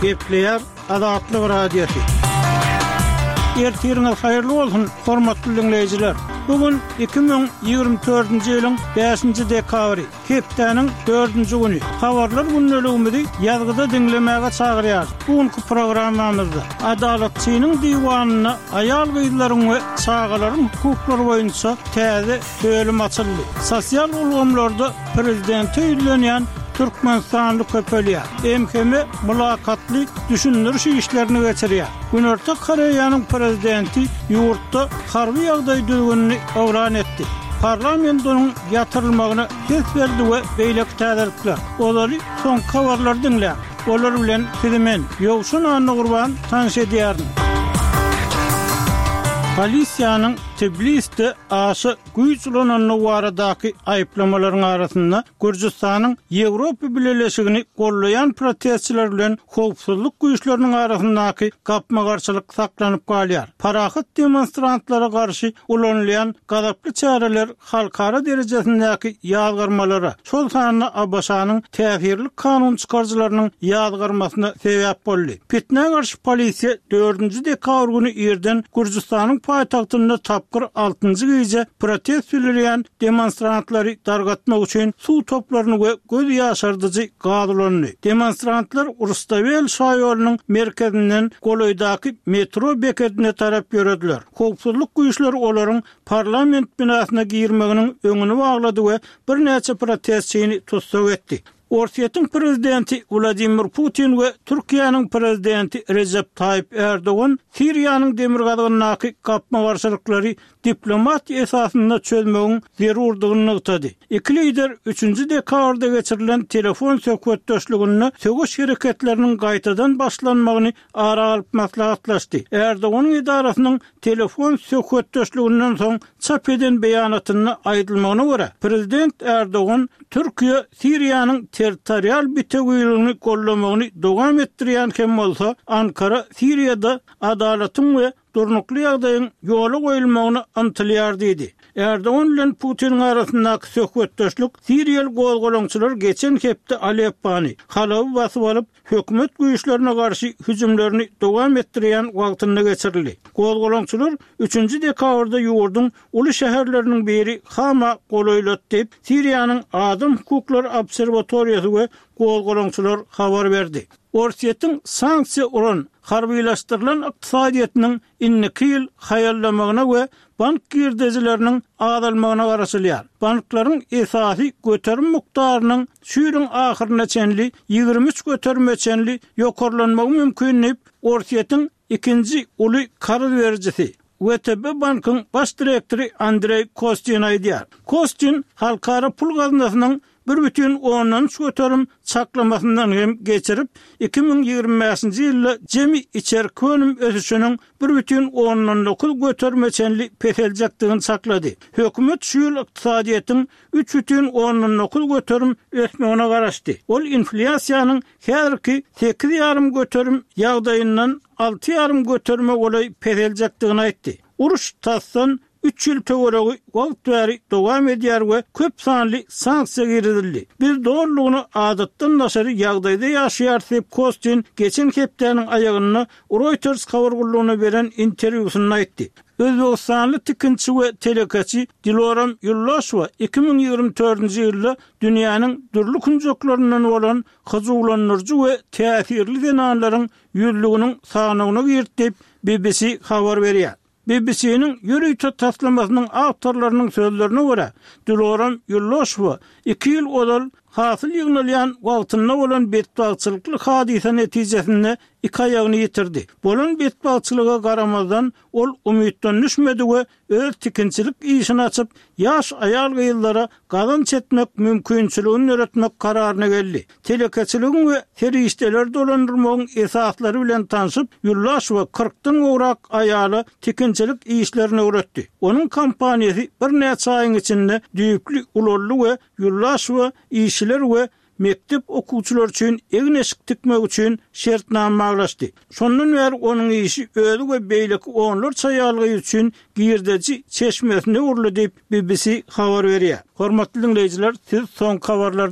Gepleýär Azatlyk Radiosy. Ertiriňiz haýyrly bolsun, hormatly diňleýjiler! Bu gün 2024-nji ýylyň bäşinji dekabry, hepdäniň dördünji güni. Habarlar gündeligimizi ýazgyda diňlemäge çagyrýarys. Bu günki programmamyzda Adalatçynyň diwanynda aýal-gyzlaryň we çagalaryň hukuklary boýunça täze bölüm açyldy. Sosial ulgamlarda prezidente ýüzlenýän türkmenistanly köpelýär. MHM mylakatly düşündiriş işlerini geçirýär. Günorta Koreýanyň prezidenti ýurtda harby ýagdaý düzgünini yglan etdi. Parlament onuň ýatyrylmagyna ses berdi we beýleki täzelikler. Ozaly soňky habarlary diňläň. Olar bilen sizi men, Ýowşan Annagurban tanyş edýärin. Polisiýanyň Tblisde aşa güýç ulanandygy baradaky aýyplamalaryň arasynda Gürjüstanyň Ýewropa Bileleşigini gollaýan protestçiler bilen howpsuzlyk güýçleriniň arasyndaky gapma-garşylyk saklanyp galýar. Parahat demonstrantlara garşy ulanylýan gazaply çäreler halkara derejesindäki ýazgarmalara, şol sanda ABŞ-nyň täsirli kanun çykaryjylarynyň ýazgarmasyna sebäp boldy. Pitnä garşy polisiýa dördünji dekabr güni irden Gürjüstanyň paýtagtynda tapgyr altynjy gije protest bildirýän demonstrantlary dargatmak üçin suw toplaryny we göz ýaşardyjy gaz ulandy. Demonstrantlar Rustawel şaýolunyň merkezinden golaýdaky metro bekedine tarap ýörediler. Howpsuzlyk güýçleri olaryň parlament binasyna girmeginiň öňüni baglady we birnäçe protestçini tussag etdi. Orsýetiň prezidenti Wladimir Putin we Türkiýäniň prezidenti Rejep Taýyp Ärdogan Siriýanyň demirgazygyndaky gapma-garşylyklary diplomatiýa esasynda çözmegiň zerurdygyny nygtady. Iki lider üçünji dekabrda geçirilen telefon söhbetdeşliginde söweş hereketleriniň gaýtadan başlanmagyny ara alyp maslahatlaşdy. Ärdoganyň edarasynyň telefon söhbetdeşliginden soň çap eden beýanatynda aýdylmagyna görä, prezident Ärdogan Türkiýe Siriýanyň territorial bitewiligini goldamagyny dowam etdirýän hem bolsa, Ankara Siriýada adalatyň we durnukly ýagdaýyň ýola goýulmagyna ymtylýar diýdi. Ärdogan bilen Putiniň arasyndaky söhbetdeşlik siriýaly gozgalaňçylar geçen hepde Aleppany, Halaby basyp alyp, hökümet güýçlerine garşy hüjümlerini dowam etdirýän wagtynda geçirildi. Gozgalaňçylar üçünji dekabrda ýurduň uly şäherleriniň biri Hama golaýlady diýip, Siriýanyň Adam hukuklary obserwatoriýasy we gozgalaňçylar habar berdi. Orsýetiň sanksiýa uran, harbylaşdyrylan ykdysadyýetiniň indiki ýyl haýallamagyna we bank girdejileriniň azalmagyna garaşylýar. Banklaryň esasy göterim mukdarynyň şu ýylyň ahyryna çenli 23 göterime çenli ýokarlanmagy mümkin diýip, Orsýetiň ikinji uly karz berijisi, WTB bankyň baş direktory Andreý Kostin aýdýar. Kostin Halkara pul gaznasynyň 1,3% çaklamasyndan hem geçirip, 2025-nji ýylda jemi içerki önüm ösüşiniň 1,9 göterime çenli peseljekdigini çaklady. Hökümet şu ýyl ykdysadyýetiň 3,9 göterim ösmegine garaşdy. Ol inflýasiýanyň häzirki 8,5 göterim ýagdaýyndan 6,5 göterime golaý peseljekdigini aýtdy. Uruş tasdan üç ýyl töweregi wagt bäri dowam edýär we köp sanly sanksiýa girizildi. Biz dolulygyna adatdan daşary ýagdaýda ýaşaýarys diýip, Kostin geçen hepdäniň aýagynda Reuters habar gullugyna beren interwýusynda aýtdy. Özbegistanly tikinçi we telekeçi Diloram Ýuldoşewa 2024-nji ýylda dünýäniň dürli künjeklerinden bolan hyjuwlandyryjy we täsirli zenanlaryň ýüzlüginiň sanawyna girdi diýip, BBC habar berýär. BBC-niň ýörite taslamasynyň awtorlarynyň sözlerine görä, Diloram Ýuldoşewa iki ýyl ozal hasyl ýygnalýan wagtynda bolan betbagtçylykly hadysa netijesinde iki aýagyny ýitirdi. Bolan betbagtçylyga garamazdan, ol umytdan düşmedi we öz tikinçilik işini açyp, ýaş aýal-gyzlara gazanç etmek mümkinçiligini döretmek kararyna geldi. Telekeçiligiň we serişdeleri dolandyrmagyň esaslary bilen tanşyp, Ýuldaşewa kyrkdan gowrak aýala tikinçilik işlerini öwretdi. Onuň kompaniýasy birnäçe aýyň içinde düýpli ulaldy we Ýuldaşewa işçiler we mekdep okuwçylary üçin egin-eşik tikmek üçin şertnama baglaşdy. Şondan bäri onuň işi özi we beýleki onlarça aýal-gyz üçin girdeji çeşmesine öwrüldi diýip, BBC habar berýär. Hormatly diňleýjiler, siz soňky habarlary.